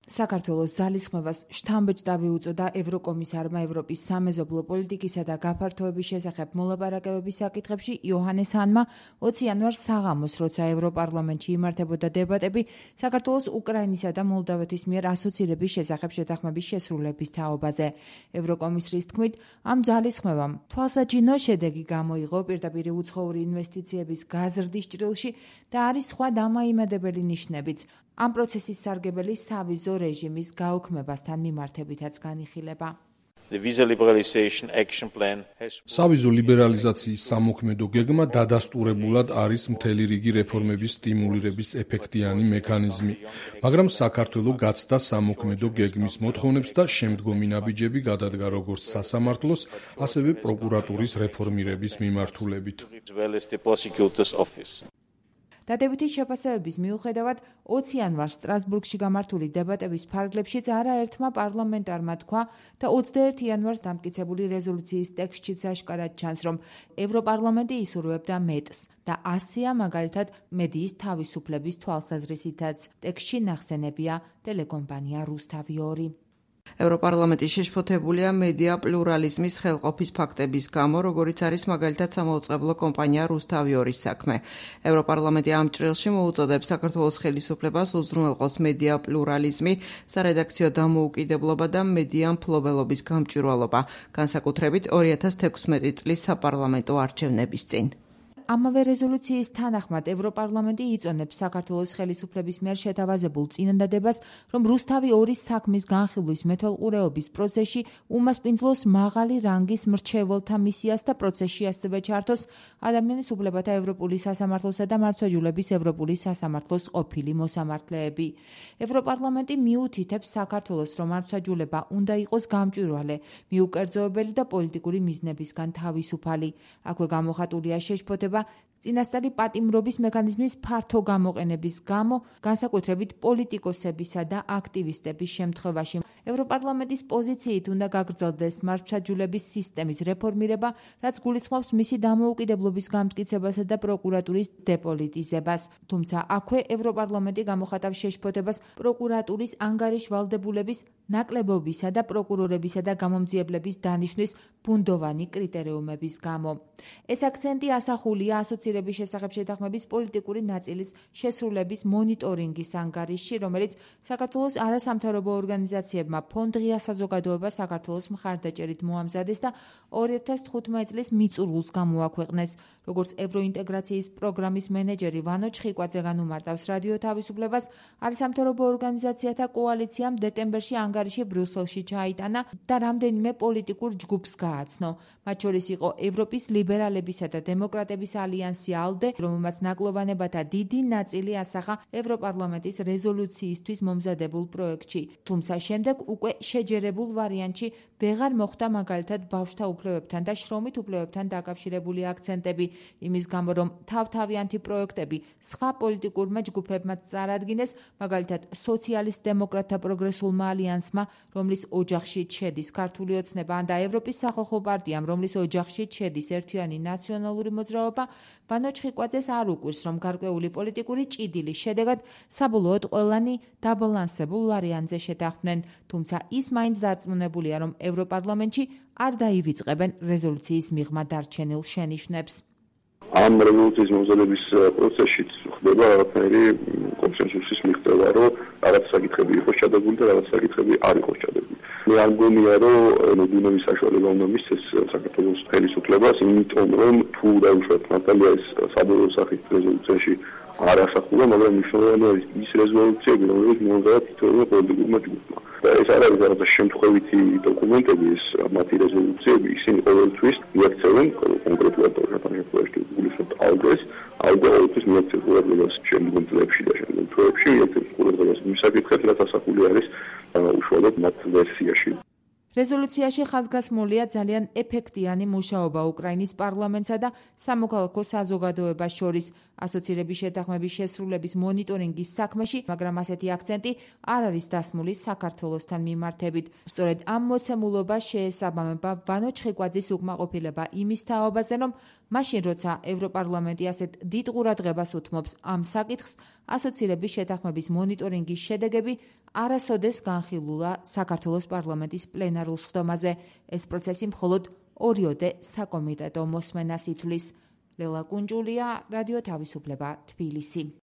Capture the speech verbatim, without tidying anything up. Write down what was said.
საქართველოს ძალისხმევას შთამბეჭდავი უწოდა ევროკომისარმა ევროპის სამეზობლო პოლიტიკისა და გაფართოების შესახებ მოლაპარაკებების საკითხებში იოჰანეს ჰანმა ოცი იანვარს საღამოს, როცა ევროპარლამენტში იმართებოდა დებატები საქართველოს უკრაინისა და მოლდავეთის მიერ ასოცირების შესახებ შეთანხმების შესრულების თაობაზე. ევროკომისრის თქმით, ამ ძალისხმევამ თვალსაჩინო შედეგი გამოიღო პირდაპირ უცხოური ინვესტიციების გაზრდის ჭრილში და არის სხვა დამაიმედებელი ნიშნებიც. ამ პროცესის სარგებელი სავიზო რეჟიმის გაუქმებასთან მიმართებითაც განიხილება. სავიზო ლიბერალიზაციის სამოქმედო გეგმა დადასტურებულად არის მთელი რიგი რეფორმების სტიმულირების ეფექტიანი მექანიზმი, მაგრამ საქართველოს გაცდა სამოქმედო გეგმის მოთხოვნებს და შემდგომი ნაბიჯები გადადგა როგორც სასამართლოს, ასევე პროკურატურის რეფორმირების მიმართულებით. დადებითი შეფასებების მიუხედავად, ოცი იანვარს სტრასბურგში გამართული დებატების ფარგლებშიც არაერთმა პარლამენტარმა თქვა და ოცდაერთი იანვარს დამტკიცებული რეზოლუციის ტექსტშიც აშკარად ჩანს, რომ ევროპარლამენტი ისურვებდა მეტს და ასია მაგალითად მედიის თავისუფლების თვალსაზრისითაც. ტექსტში ნახსენებია ტელეკომპანია რუსთავი ორი. ევროპარლამენტი შეშფოთებულია მედია პლურალიზმის ხელყოფის ფაქტების გამო, როგორიც არის მაგალითად სამაუწყებლო კომპანია რუსთავი ორის საქმე. ევროპარლამენტი ამ ჭრილში მოუწოდებს საქართველოს ხელისუფლებას უზრუნველყოს მედია პლურალიზმი, სარედაქციო დამოუკიდებლობა და მედია მფლობელობის გამჭვირვალობა, განსაკუთრებით ორი ათას თექვსმეტი წლის საპარლამენტო არჩევნების წინ. ამავე რეზოლუციის თანახმად ევროპარლამენტი იწონებს საქართველოს ხელისუფლების მიერ შეთავაზებულ წინადადებას, რომ რუსთავი ორის საქმის განხილვის მეთვალყურეობის პროცესში უმასპინძლოს მაღალი რანგის მრჩეველთა მისიას და პროცესში ასევე ჩართოს ადამიანის უფლებათა ევროპული სასამართლოსა და მართლმსაჯულების ევროპული სასამართლოს ყოფილი მოსამართლეები. ევროპარლამენტი მიუთითებს საქართველოს, რომ მართლმსაჯულება უნდა იყოს გამჭვირვალე, მიუკერძოებელი და პოლიტიკური მიზნებისგან თავისუფალი. აქვე გამოხატულია შეშფოთება წინასწარი პატიმრობის მექანიზმის ფართო გამოყენების გამო, განსაკუთრებით პოლიტიკოსებისა და აქტივისტების შემთხვევაში. ევროპარლამენტის პოზიციით უნდა გაგრძელდეს მართლმსაჯულების სისტემის რეფორმირება, რაც გულისხმობს მისი დამოუკიდებლობის გამტკიცებასა და პროკურატურის დეპოლიტიზებას. თუმცა აქვე ევროპარლამენტი გამოხატავს შეშფოთებას პროკურატურის ანგარიშვალდებულების ნაკლებობისა და პროკურორებისა და გამომძიებლების დანიშვნის ბუნდოვანი კრიტერიუმების გამო. ეს აქცენტი ასახულია ასოცირების შესახებ შეთანხმების პოლიტიკური ნაწილის შესრულების მონიტორინგის ანგარიშში, რომელიც საქართველოს არასამთავრობო ორგანიზაციებმა ფონდ ღია საზოგადოება საქართველოს მხარდაჭერით მოამზადეს და ორი ათას თხუთმეტი წლის მიწურულს გამოაქვეყნეს. როგორც ევროინტეგრაციის პროგრამის მენეჯერი ვანო ჩხიკვაძე განუმარტავს რადიო თავისუფლებას, არასამთავრობო ორგანიზაციათა კოალიციამ დეკემბერში ანგარიში ბრიუსელში ჩაიტანა და რამდენიმე პოლიტიკურ ჯგუფს გააცნო. მათ შორის იყო ევროპის ლიბერალებისა და დემოკრატების ალიანსი ალდე, რომელმაც ნაკლოვანებათა დიდი ნაწილი ასახა ევროპარლამენტის რეზოლუციისთვის მომზადებულ პროექტში. თუმცა შემდეგ უკვე შეჯერებულ ვარიანტში ვეღარ მოხვდა მაგალითად ბავშვთა უფლებებთან და შრომით უფლებებთან დაკავშირებული აქცენტები, იმის გამო რომ თავთავიანთი პროექტები სხვა პოლიტიკურმა ჯგუფებმაც წარადგინეს, მაგალითად სოციალისტ-დემოკრატთა პროგრესულმა ალიანსმა, რომლის ოჯახშიც შედის ქართული ოცნება და ევროპის სახალხო პარტიამ, რომლის ოჯახშიც შედის ერთიანი ნაციონალური მოძრაობა, ვანო ჩხიკვაძეს არ უკვირს, რომ გარკვეული პოლიტიკური ჭიდილის შედეგად საბოლოოდ ყველანი დაბალანსებულ ვარიანტზე შეთანხმდნენ, თუმცა ის მაინც დარწმუნებულია, რომ ევროპარლამენტში არ დაივიწყებენ რეზოლუციის მიღმა დარჩენილ შენიშვნებს. ამ რევოლუციის მომზადების პროცესში ხდება რაღაცნაირი კონსენსუსის მიღწევა, რომ რაღაც საკითხები იყოს ჩადებული და რაღაც საკითხები არ იყოს ჩადებული. მე არ მგონია, რომ მოდუნების საშუალება უნდა მისცეს საქართველოს ხელისუფლებას, იმიტომ რომ თუ დაუშვათ მართალია ეს საბოლოო სახით რეზოლუციაში არ ასახულა, მაგრამ მნიშვნელოვანია ის რეზოლუციები, რომელიც მომზადდა თითოეულ პოლიტიკურმა ჯგუფმა. და ეს არ არის რაღაც შემთხვევითი დოკუმენტები, ეს მათი რეზოლუციები, ისინი ყოველთვის მიაქცევენ კონკრეტულად შემთხვევაში გულისხმობთ ალდეს, ალდა ყოველთვის მიაქცევს ყურადღებას შემდგომ წლებში და შემდგომ თვეებში მიაქცევს ყურადღებას იმ საკითხებს, რაც ასახული არის უშუალოდ მათ ვერსიაში. რეზოლუციაში ხაზგასმულია ძალიან ეფექტიანი მუშაობა უკრაინის პარლამენტსა და სამოქალაქო საზოგადოებას შორის, ასოცირების შეთანხმების შესრულების მონიტორინგის საქმეში, მაგრამ ასეთი აქცენტი არ არის დასმული საქართველოსთან მიმართებით. სწორედ ამ მოცემულობას შეესაბამება ვანო ჩხიკვაძის უკმაყოფილება იმის თაობაზე, რომ მაშინ როცა ევროპარლამენტი ასეთ დიდ ყურადღებას უთმობს ამ საკითხს, ასოცირების შეთანხმების მონიტორინგის შედეგები არასოდეს განხილულა საქართველოს პარლამენტის პლენარულ სხდომაზე. ეს პროცესი მხოლოდ ორიოდე საკომიტეტო მოსმენას ითვლის. ლელა კუნჯულია, რადიო თავისუფლება, თბილისი.